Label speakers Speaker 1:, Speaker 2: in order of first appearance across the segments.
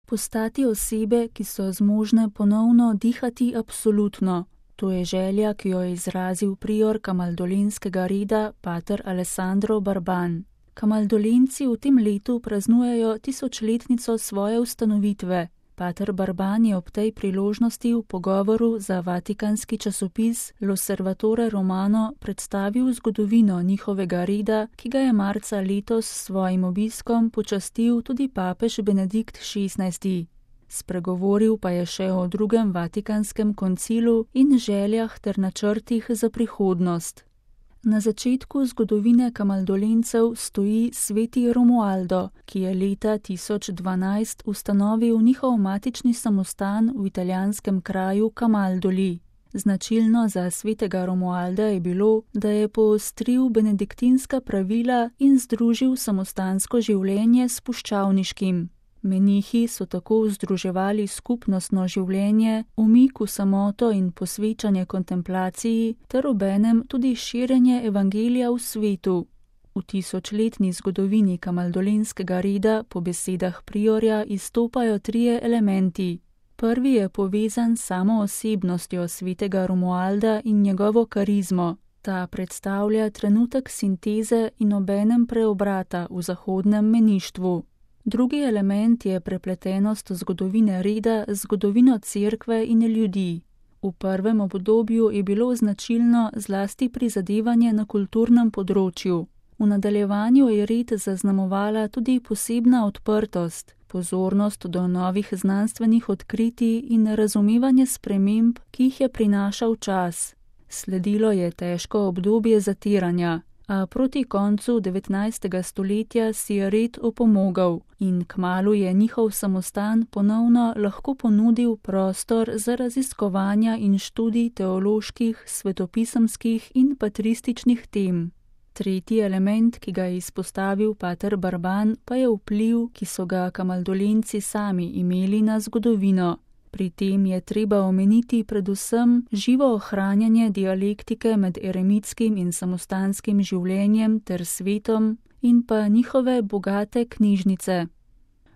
Speaker 1: Postati osebe, ki so zmožne ponovno dihati absolutno. To je želja, ki jo je izrazil prior kamaldolenskega reda pater Alessandro Barban. Kamaldolenci v tem letu praznujejo 1000-letnico svoje ustanovitve. Pater Barban je ob tej priložnosti v pogovoru za vatikanski časopis L'Osservatore Romano predstavil zgodovino njihovega reda, ki ga je marca letos s svojim obiskom počastil tudi papež Benedikt XVI. Spregovoril pa je še o drugem vatikanskem koncilu in željah ter načrtih za prihodnost. Na začetku zgodovine kamaldolencev stoji sveti Romualdo, ki je leta 1012 ustanovil njihov matični samostan v italijanskem kraju Camaldoli. Značilno za svetega Romualda je bilo, da je poostril benediktinska pravila in združil samostansko življenje s puščavniškim. Menihi so tako združevali skupnostno življenje, umik v samoto in posvečanje kontemplaciji ter obenem tudi širjenje evangelija v svetu. V 1000-letni zgodovini kamaldolenskega reda po besedah priorja izstopajo 3 elementi. Prvi je povezan s samo osebnostjo svetega Romualda in njegovo karizmo. Ta predstavlja trenutek sinteze in obenem preobrata v zahodnem meništvu. Drugi element je prepletenost zgodovine reda z zgodovino cerkve in ljudi. V prvem obdobju je bilo značilno zlasti prizadevanje na kulturnem področju. V nadaljevanju je red zaznamovala tudi posebna odprtost, pozornost do novih znanstvenih odkritij in razumevanje sprememb, ki jih je prinašal čas. Sledilo je težko obdobje zatiranja, a proti koncu 19. stoletja si je red opomogel in kmalu je njihov samostan ponovno lahko ponudil prostor za raziskovanja in študij teoloških, svetopisemskih in patrističnih tem. Tretji element, ki ga je izpostavil pater Barban, pa je vpliv, ki so ga kamaldolenci sami imeli na zgodovino. Pri tem je treba omeniti predvsem živo ohranjanje dialektike med eremitskim in samostanskim življenjem ter svetom in pa njihove bogate knjižnice.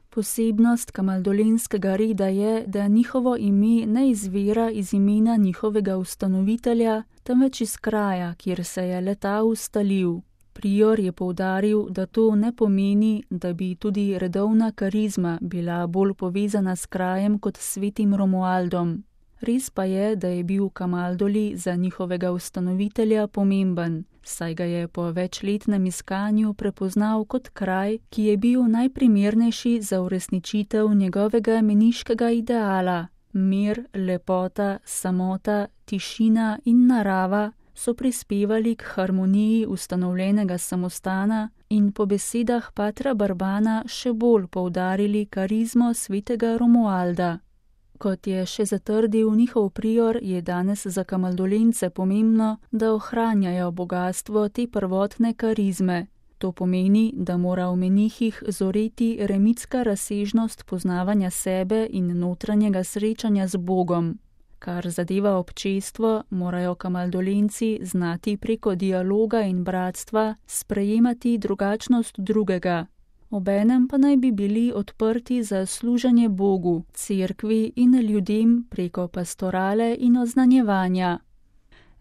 Speaker 1: Posebnost kamaldolenskega reda je, da njihovo ime ne izvira iz imena njihovega ustanovitelja, temveč iz kraja, kjer se je le-ta ustalil. Prior je poudaril, da to ne pomeni, da bi tudi redovna karizma bila bolj povezana s krajem kot s svetim Romualdom. Res pa je, da je bil Camaldoli za njihovega ustanovitelja pomemben, saj ga je po večletnem iskanju prepoznal kot kraj, ki je bil najprimernejši za uresničitev njegovega meniškega ideala. Mir, lepota, samota, tišina in narava so prispevali k harmoniji ustanovljenega samostana in po besedah patra Barbana še bolj poudarili karizmo svetega Romualda. Kot je še zatrdil njihov prior, je danes za kamaldolence pomembno, da ohranjajo bogatstvo te prvotne karizme. To pomeni, da mora v menihih zoreti eremitska razsežnost poznavanja sebe in notranjega srečanja z Bogom. Kar zadeva občestvo, morajo kamaldolenci znati preko dialoga in bratstva sprejemati drugačnost drugega. Obenem pa naj bi bili odprti za služenje Bogu, cerkvi in ljudem preko pastorale in oznanjevanja.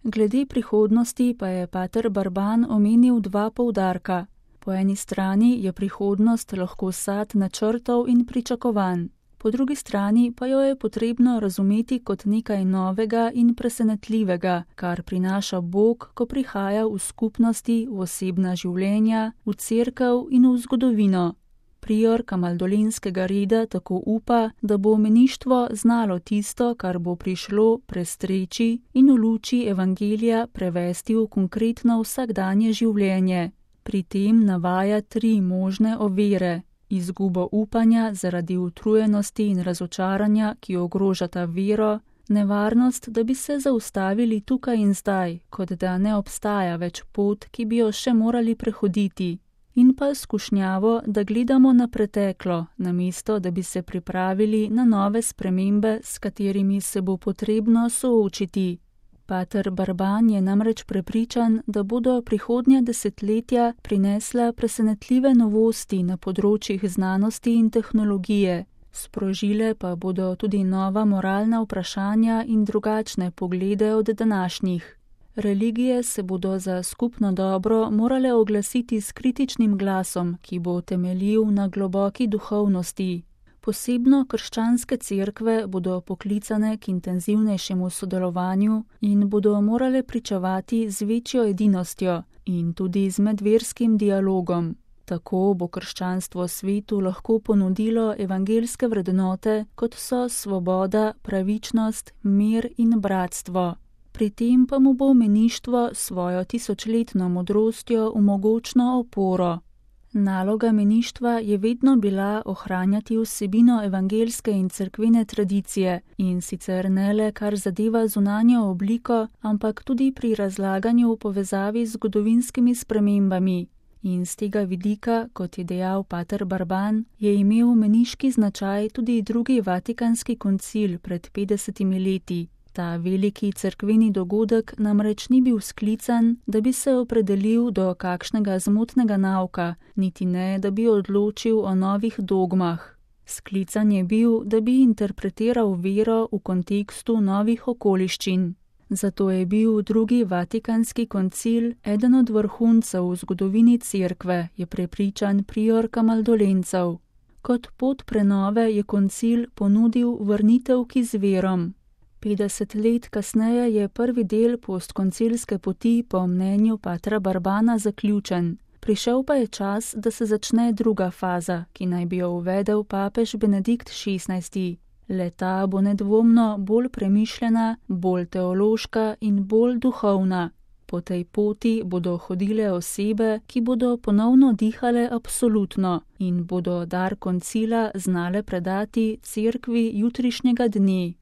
Speaker 1: Glede prihodnosti pa je pater Barban omenil 2 poudarka. Po eni strani je prihodnost lahko sad načrtov in pričakovanj. Po drugi strani pa jo je potrebno razumeti kot nekaj novega in presenetljivega, kar prinaša Bog, ko prihaja v skupnosti, v osebna življenja, v cerkev in v zgodovino. Prior kamaldolenskega reda tako upa, da bo meništvo znalo tisto, kar bo prišlo, prestreči in v luči evangelija prevesti v konkretno vsakdanje življenje. Pri tem navaja 3 možne ovire. Izgubo upanja zaradi utrujenosti in razočaranja, ki ogrožata vero, nevarnost, da bi se zaustavili tukaj in zdaj, kot da ne obstaja več pot, ki bi jo še morali prehoditi, in pa skušnjavo, da gledamo na preteklo, namesto da bi se pripravili na nove spremembe, s katerimi se bo potrebno soočiti. Pater Barban je namreč prepričan, da bodo prihodnja desetletja prinesla presenetljive novosti na področjih znanosti in tehnologije, Sprožile pa bodo tudi nova moralna vprašanja in drugačne poglede od današnjih. Religije se bodo za skupno dobro morale oglasiti s kritičnim glasom, ki bo temeljil na globoki duhovnosti. Posebno krščanske cerkve bodo poklicane k intenzivnejšemu sodelovanju in bodo morale pričevati z večjo edinostjo in tudi z medverskim dialogom. Tako bo krščanstvo svetu lahko ponudilo evangeljske vrednote, kot so svoboda, pravičnost, mir in bratstvo. Pri tem pa mu bo meništvo svojo tisočletno modrostjo v mogočno oporo. Naloga meništva je vedno bila ohranjati vsebino evangeljske in cerkvene tradicije, in sicer ne le kar zadeva zunanjo obliko, ampak tudi pri razlaganju v povezavi z zgodovinskimi spremembami. In z tega vidika, kot je dejal pater Barban, je imel meniški značaj tudi drugi Vatikanski koncil pred 50 leti. Ta veliki cerkveni dogodek namreč ni bil sklican, da bi se opredelil do kakšnega zmotnega nauka, niti ne, da bi odločil o novih dogmah. Sklican je bil, da bi interpretiral vero v kontekstu novih okoliščin. Zato je bil drugi Vatikanski koncil eden od vrhuncev v zgodovini cerkve, je prepričan prior kamaldolencev. Kot pot prenove je koncil ponudil vrnitev k izvirom. 50 let kasneje je prvi del postkoncilske poti po mnenju patra Barbana zaključen. Prišel pa je čas, da se začne druga faza, ki naj bi jo uvedel papež Benedikt XVI. Le-ta bo nedvomno bolj premišljena, bolj teološka in bolj duhovna. Po tej poti bodo hodile osebe, ki bodo ponovno dihale absolutno in bodo dar koncila znale predati cerkvi jutrišnjega dne.